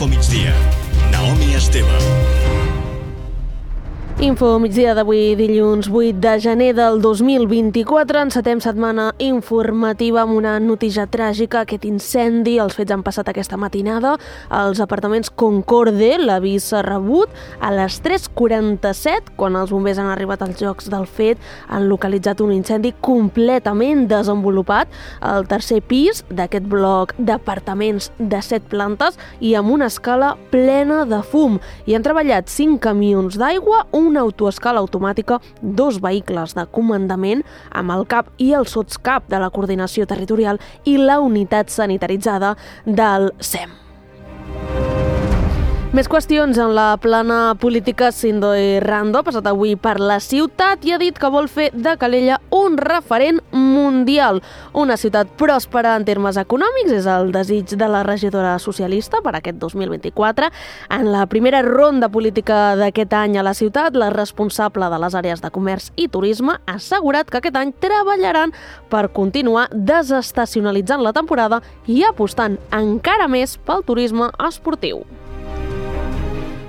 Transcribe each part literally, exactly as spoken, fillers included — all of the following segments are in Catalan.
Info Migdia. Naomi Esteve. Info migdia d'avui, dilluns vuit de gener del dos mil vint-i-quatre. Encetem setmana informativa amb una notícia tràgica, aquest incendi. Els fets han passat aquesta matinada als apartaments Concorde. L'avís s'ha rebut a les tres quaranta-set, quan els bombers han arribat als llocs del fet. Han localitzat un incendi completament desenvolupat al tercer pis d'aquest bloc d'apartaments de set plantes i amb una escala plena de fum. Hi han treballat cinc camions d'aigua, un una autoescala automàtica, dos vehicles de comandament amb el cap i el sotscap de la coordinació territorial i la unitat sanitaritzada del S E M. Més qüestions en la plana política. Sindoe Rando ha passat avui per la ciutat i ha dit que vol fer de Calella un referent mundial. Una ciutat pròspera en termes econòmics és el desig de la regidora socialista per aquest dos mil vint-i-quatre. En la primera ronda política d'aquest any a la ciutat, la responsable de les àrees de comerç i turisme ha assegurat que aquest any treballaran per continuar desestacionalitzant la temporada i apostant encara més pel turisme esportiu.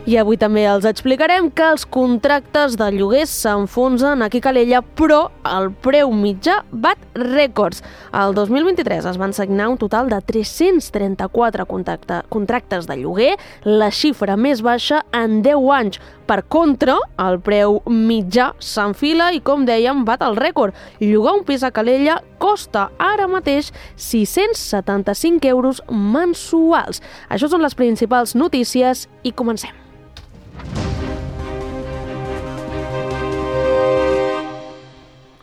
I avui també els explicarem que els contractes de lloguers s'enfonsen aquí a Calella, però el preu mitjà bat rècords. El dos mil vint-i-tres es van signar un total de tres-cents trenta-quatre contractes de lloguer, la xifra més baixa en deu anys. Per contra, el preu mitjà s'enfila i, com dèiem, bat el rècord. Llogar un pis a Calella costa ara mateix sis-cents setanta-cinc euros mensuals. Això són les principals notícies i comencem.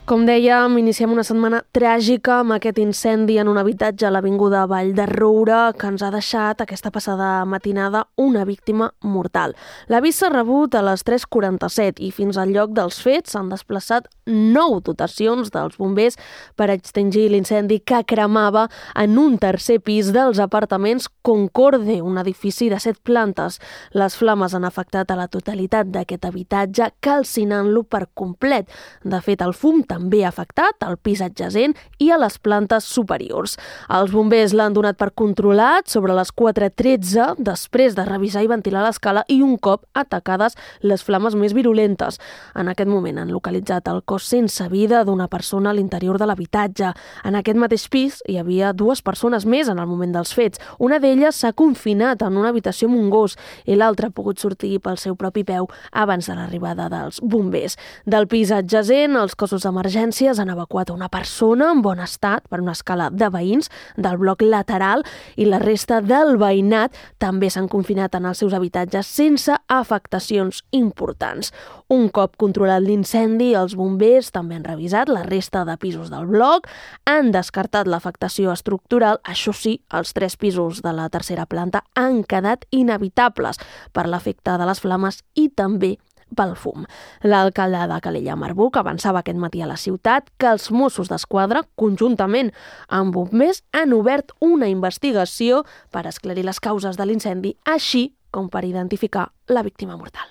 Com dèiem, iniciem una setmana tràgica amb aquest incendi en un habitatge a l'avinguda Vall de Roure que ens ha deixat aquesta passada matinada una víctima mortal. L'avís s'ha rebut a les tres quaranta-set i fins al lloc dels fets s'han desplaçat nou dotacions dels bombers per extingir l'incendi que cremava en un tercer pis dels apartaments Concorde, un edifici de set plantes. Les flames han afectat a la totalitat d'aquest habitatge, calcinant-lo per complet. De fet, el fum també ha afectat al pis adjacent i a les plantes superiors. Els bombers l'han donat per controlat sobre les quatre tretze després de revisar i ventilar l'escala i un cop atacades les flames més virulentes. En aquest moment han localitzat el cos sense vida d'una persona a l'interior de l'habitatge. En aquest mateix pis hi havia dues persones més en el moment dels fets. Una d'elles s'ha confinat en una habitació amb un gos i l'altra ha pogut sortir pel seu propi peu abans de l'arribada dels bombers. Del pis adjacent, els cossos d'emergències han evacuat una persona en bon estat per una escala de veïns del bloc lateral i la resta del veïnat també s'han confinat en els seus habitatges sense afectacions importants. Un cop controlat l'incendi, els bombers també han revisat la resta de pisos del bloc, han descartat l'afectació estructural, això sí, els tres pisos de la tercera planta han quedat inhabitables per l'efecte de les flames i també pel fum. L'alcalde de Calella, Marc Buch, avançava aquest matí a la ciutat que els Mossos d'Esquadra, conjuntament amb bombers, han obert una investigació per esclarir les causes de l'incendi, així com per identificar la víctima mortal.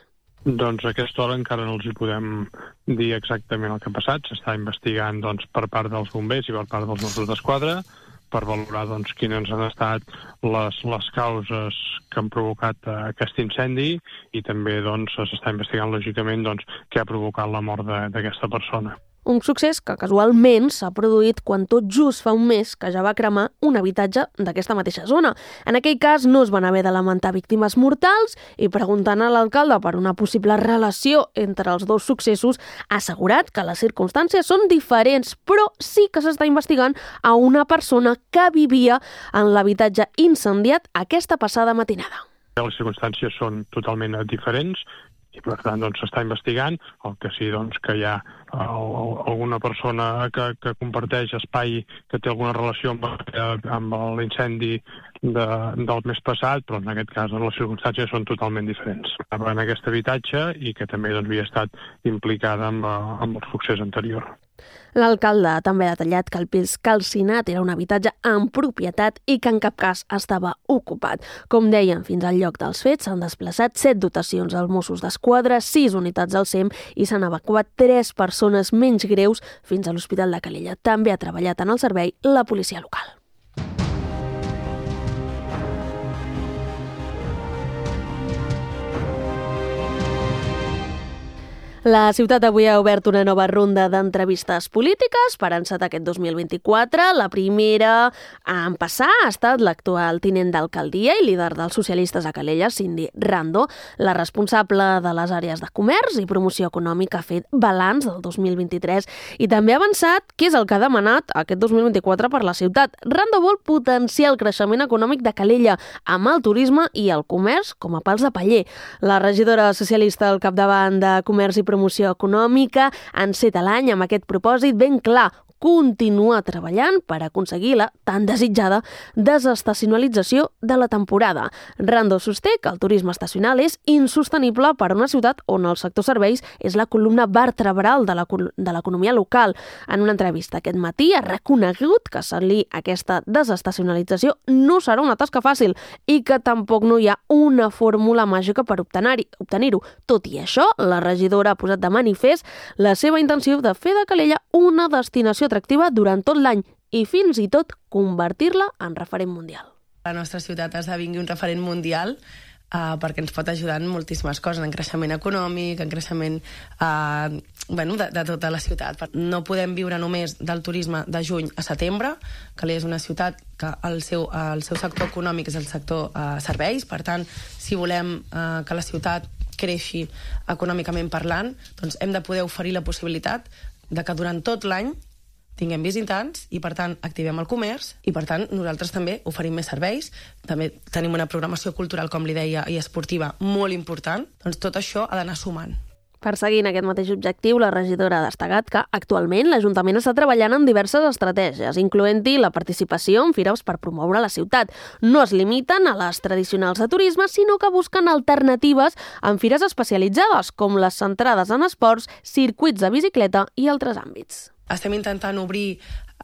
Doncs a aquesta hora encara no els hi podem dir exactament el que ha passat. S'està investigant doncs, per part dels bombers i per part dels Mossos d'Esquadra per valorar doncs, quines han estat les, les causes que han provocat uh, aquest incendi i també doncs, s'està investigant lògicament doncs, què ha provocat la mort d'aquesta persona. Un succés que casualment s'ha produït quan tot just fa un mes que ja va cremar un habitatge d'aquesta mateixa zona. En aquell cas no es van haver de lamentar víctimes mortals i preguntant a l'alcalde per una possible relació entre els dos successos ha assegurat que les circumstàncies són diferents, però sí que s'està investigant a una persona que vivia en l'habitatge incendiat aquesta passada matinada. Les circumstàncies són totalment diferents i per tant doncs, s'està investigant. El que sí doncs, que hi ha uh, alguna persona que, que comparteix espai que té alguna relació amb, amb l'incendi de, del mes passat, però en aquest cas les circumstàncies són totalment diferents. Estava en aquest habitatge i que també doncs, havia estat implicada amb, amb el succés anterior. L'alcalde també ha detallat que el pis calcinat era un habitatge en propietat i que en cap cas estava ocupat. Com deien, fins al lloc dels fets s'han desplaçat set dotacions als Mossos d'Esquadra, sis unitats al S E M i s'han evacuat tres persones menys greus fins a l'Hospital de Calella. També ha treballat en el servei la policia local. La ciutat avui ha obert una nova ronda d'entrevistes polítiques per encetar aquest dos mil vint-i-quatre. La primera en passar ha estat l'actual tinent d'alcaldia i líder dels socialistes a Calella, Cindy Rando. La responsable de les àrees de comerç i promoció econòmica ha fet balanç del dos mil vint-i-tres i també ha avançat què és el que ha demanat aquest dos mil vint-i-quatre per la ciutat. Rando vol potenciar el creixement econòmic de Calella amb el turisme i el comerç com a pals de paller. La regidora socialista al capdavant de comerç i promoció promoció econòmica enceta l'any amb aquest propòsit ben clar: continuar treballant per aconseguir la tan desitjada desestacionalització de la temporada. Rando sosté que el turisme estacional és insostenible per a una ciutat on el sector serveis és la columna vertebral de l'economia local. En una entrevista aquest matí ha reconegut que assolir aquesta desestacionalització no serà una tasca fàcil i que tampoc no hi ha una fórmula màgica per obtenir-ho. Tot i això, la regidora ha posat de manifest la seva intenció de fer de Calella una destinació atractiva durant tot l'any i fins i tot convertir-la en referent mundial. La nostra ciutat esdevingui un referent mundial uh, perquè ens pot ajudar en moltíssimes coses, en creixement econòmic, en creixement uh, bueno, de, de tota la ciutat. No podem viure només del turisme de juny a setembre. Calella és una ciutat que el seu, uh, el seu sector econòmic és el sector uh, serveis, per tant, si volem uh, que la ciutat creixi econòmicament parlant, doncs hem de poder oferir la possibilitat de que durant tot l'any tinguem visitants i, per tant, activem el comerç i, per tant, nosaltres també oferim més serveis. També tenim una programació cultural, com li deia, i esportiva molt important. Doncs tot això ha d'anar sumant. Perseguint aquest mateix objectiu, la regidora ha destacat que actualment l'Ajuntament està treballant en diverses estratègies, incloent-hi la participació en fires per promoure la ciutat. No es limiten a les tradicionals de turisme, sinó que busquen alternatives en fires especialitzades, com les centrades en esports, circuits de bicicleta i altres àmbits. Estem intentant obrir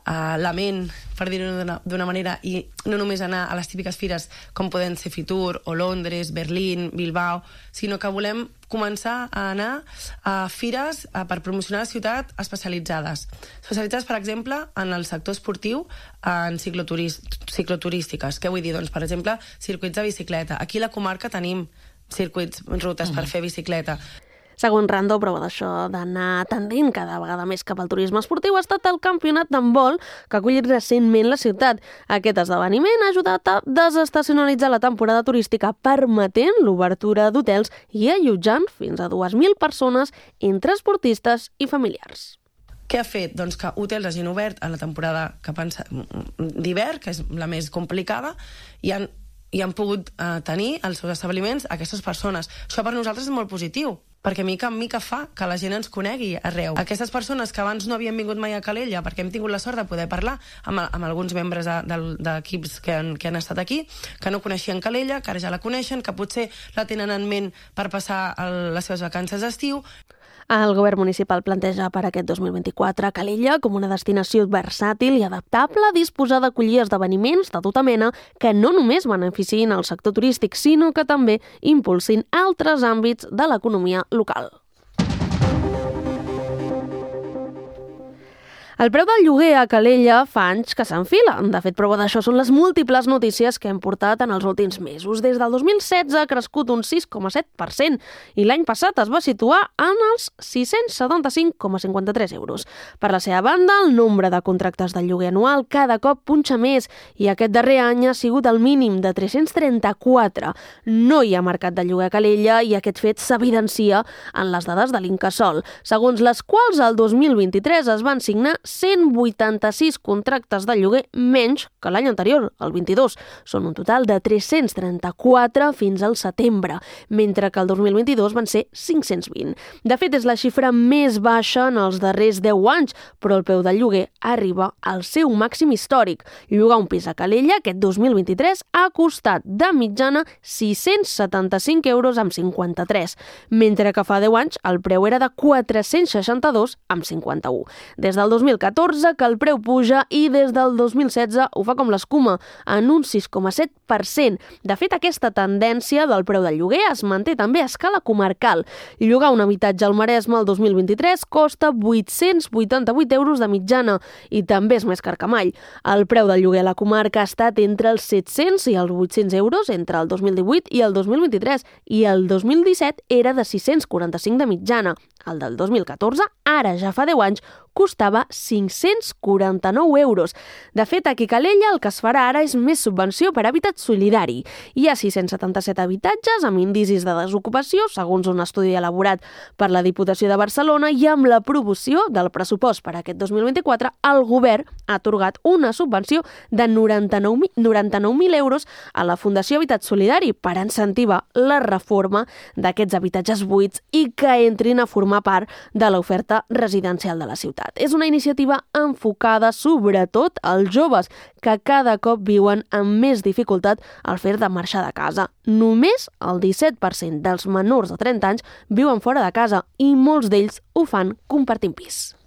uh, la ment, per dir-ho d'una manera, i no només anar a les típiques fires com poden ser Fitur o Londres, Berlín, Bilbao, sinó que volem començar a anar a fires uh, per promocionar la ciutat especialitzades. Especialitzades, per exemple, en el sector esportiu, en cicloturístiques. Què vull dir? Doncs, per exemple, circuits de bicicleta. Aquí a la comarca tenim circuits, rutes mm. per fer bicicleta. Segons Rando, prova d'això d'anar tendint cada vegada més cap al turisme esportiu ha estat el campionat d'handbol que ha acollit recentment la ciutat. Aquest esdeveniment ha ajudat a desestacionalitzar la temporada turística, permetent l'obertura d'hotels i allotjant fins a dues mil persones entre esportistes i familiars. Què ha fet? Doncs que hotels hagin obert a la temporada que pensa d'hivern, que és la més complicada, i han, i han pogut eh, tenir als seus establiments aquestes persones. Això per nosaltres és molt positiu, perquè mica en mica fa que la gent ens conegui arreu. Aquestes persones que abans no havien vingut mai a Calella, perquè hem tingut la sort de poder parlar amb, amb alguns membres d'equips que han, que han estat aquí, que no coneixien Calella, que ara ja la coneixen, que potser la tenen en ment per passar el, les seves vacances d'estiu. El govern municipal planteja per aquest dos mil vint-i-quatre Calella com una destinació versàtil i adaptable a disposar d'acollir esdeveniments de tota mena que no només beneficiïn el sector turístic, sinó que també impulsin altres àmbits de l'economia local. El preu del lloguer a Calella fa anys que s'enfila. De fet, prova d'això són les múltiples notícies que hem portat en els últims mesos. Des del dos mil setze ha crescut un sis coma set per cent i l'any passat es va situar en els sis-cents setanta-cinc coma cinquanta-tres euros. Per la seva banda, el nombre de contractes de lloguer anual cada cop punxa més i aquest darrer any ha sigut el mínim de tres-cents trenta-quatre. No hi ha mercat de lloguer a Calella i aquest fet s'evidencia en les dades de l'Incasòl, segons les quals el dos mil vint-i-tres es van signar cent vuitanta-sis contractes de lloguer menys que l'any anterior, el vint-i-dos. Són un total de tres-cents trenta-quatre fins al setembre, mentre que el dos mil vint-i-dos van ser cinc-cents vint. De fet, és la xifra més baixa en els darrers deu anys, però el preu del lloguer arriba al seu màxim històric. Llogar un pis a Calella aquest dos mil vint-i-tres ha costat de mitjana sis-cents setanta-cinc euros amb cinquanta-tres, mentre que fa deu anys el preu era de quatre-cents seixanta-dos amb cinquanta-u. Des del dos mil catorze que el preu puja i des del dos mil setze ho fa com l'escuma, en un sis coma set per cent. De fet, aquesta tendència del preu del lloguer es manté també a escala comarcal. Llogar un habitatge al Maresme el dos mil vint-i-tres costa vuit-cents vuitanta-vuit euros de mitjana i també és més car que mai. El preu del lloguer a la comarca ha estat entre els set-cents i els vuit-cents euros entre el dos mil divuit i el dos mil vint-i-tres i el dos mil disset era de sis-cents quaranta-cinc de mitjana. el del dos mil catorze, ara ja fa deu anys, costava cinc-cents quaranta-nou euros. De fet, aquí a Calella el que es farà ara és més subvenció per habitat solidari. Hi ha sis-cents setanta-set habitatges amb indicis de desocupació, segons un estudi elaborat per la Diputació de Barcelona, i amb l'aprovació del pressupost per aquest dos mil vint-i-quatre, el govern ha atorgat una subvenció de noranta-nou mil euros a la Fundació Habitat Solidari per incentivar la reforma d'aquests habitatges buits i que entrin a formar part de l'oferta residencial de la ciutat. És una iniciativa enfocada sobretot als joves que cada cop viuen amb més dificultat al fer de marxar de casa. Només el disset per cent dels menors de trenta anys viuen fora de casa i molts d'ells ho fan compartint pis.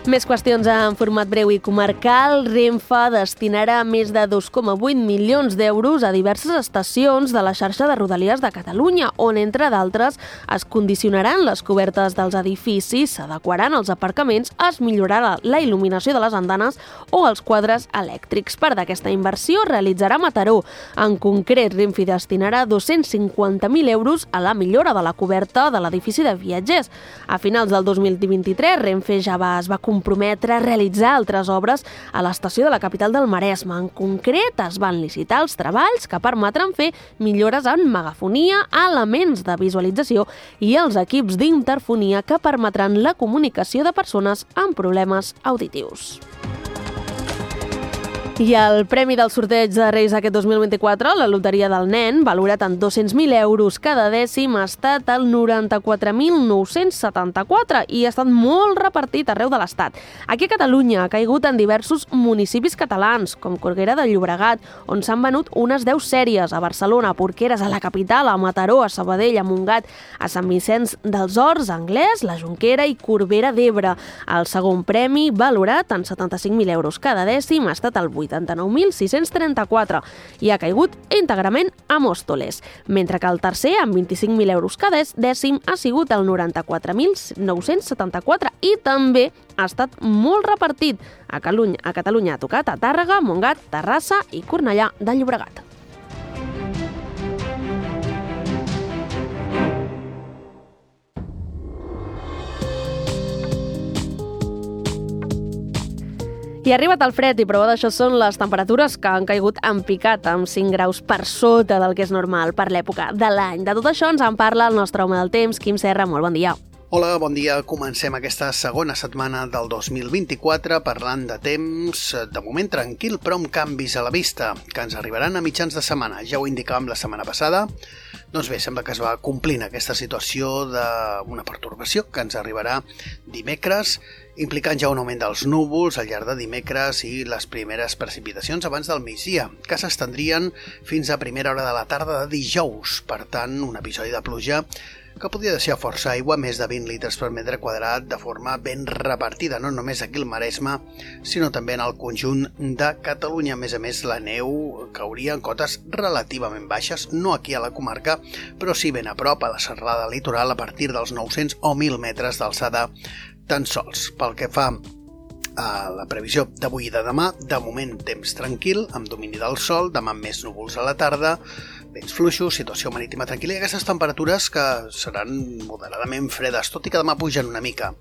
Més qüestions en format breu i comarcal. Renfe destinarà més de dos coma vuit milions d'euros a diverses estacions de la xarxa de Rodalies de Catalunya, on, entre d'altres, es condicionaran les cobertes dels edificis, s'adequaran els aparcaments, es millorarà la il·luminació de les andanes o els quadres elèctrics. Part d'aquesta inversió realitzarà Mataró. En concret, Renfe destinarà dos-cents cinquanta mil euros a la millora de la coberta de l'edifici de viatgers. A finals del dos mil vint-i-tres, Renfe ja va, es va comprometre a realitzar altres obres a l'estació de la capital del Maresme. En concret, es van licitar els treballs que permetran fer millores en megafonia, elements de visualització i els equips d'interfonia que permetran la comunicació de persones amb problemes auditius. I el premi del sorteig de Reis aquest dos mil vint-i-quatre, la Loteria del Nen, valorat en dos-cents mil euros cada dècim, ha estat el noranta-quatre mil nou-cents setanta-quatre i ha estat molt repartit arreu de l'Estat. Aquí a Catalunya ha caigut en diversos municipis catalans, com Corbera de Llobregat, on s'han venut unes deu sèries, a Barcelona, a Porqueres, a la capital, a Mataró, a Sabadell, a Montgat, a Sant Vicenç dels Horts, a Anglès, la Jonquera i Corbera d'Ebre. El segon premi, valorat en setanta-cinc mil euros cada dècim, ha estat el vuitanta-nou mil sis-cents trenta-quatre i ha caigut íntegrament a Móstoles, mentre que el tercer, amb vint-i-cinc mil euros cada dècim, ha sigut el noranta-quatre mil nou-cents setanta-quatre i també ha estat molt repartit. A Catalunya, a Catalunya ha tocat a Tàrrega, Montgat, Terrassa i Cornellà de Llobregat. I ha arribat el fred i prova d'això són les temperatures que han caigut en picat amb cinc graus per sota del que és normal per l'època de l'any. De tot això ens en parla el nostre home del temps, Quim Serra. Molt bon dia. Hola, bon dia. Comencem aquesta segona setmana del dos mil vint-i-quatre parlant de temps, de moment tranquil, però amb canvis a la vista, que ens arribaran a mitjans de setmana. Ja ho indicàvem la setmana passada. Doncs bé, sembla que es va complint aquesta situació d'una pertorbació que ens arribarà dimecres, implicant ja un augment dels núvols al llarg de dimecres i les primeres precipitacions abans del migdia, que s'estendrien fins a primera hora de la tarda de dijous. Per tant, un episodi de pluja que podria deixar força aigua, més de vint litres per metre quadrat, de forma ben repartida, no només aquí al Maresme, sinó també en el conjunt de Catalunya. A més a més, la neu cauria en cotes relativament baixes, no aquí a la comarca, però sí ben a prop, a la serralada litoral, a partir dels nou-cents o mil metres d'alçada tan sols. Pel que fa a la previsió d'avui i de demà, de moment temps tranquil, amb domini del sol, demà més núvols a la tarda, vents fluixos, situació marítima tranquil·la i aquestes temperatures que seran moderadament fredes, tot i que demà pugen una mica.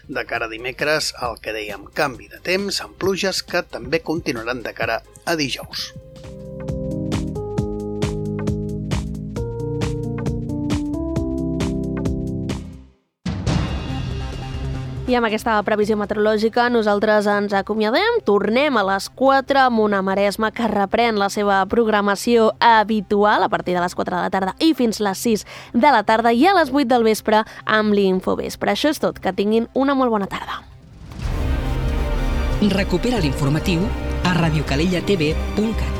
De cara a dimecres, el que dèiem, canvi de temps amb pluges que també continuaran de cara a dijous. I amb aquesta previsió meteorològica nosaltres ens acomiadem. Tornem a les quatre amb una Maresme que reprèn la seva programació habitual a partir de les quatre de la tarda i fins les sis de la tarda i a les vuit del vespre amb l'Infovespre. Això és tot. Que tinguin una molt bona tarda. Recupera l'informatiu a radiocalellatv punt cat.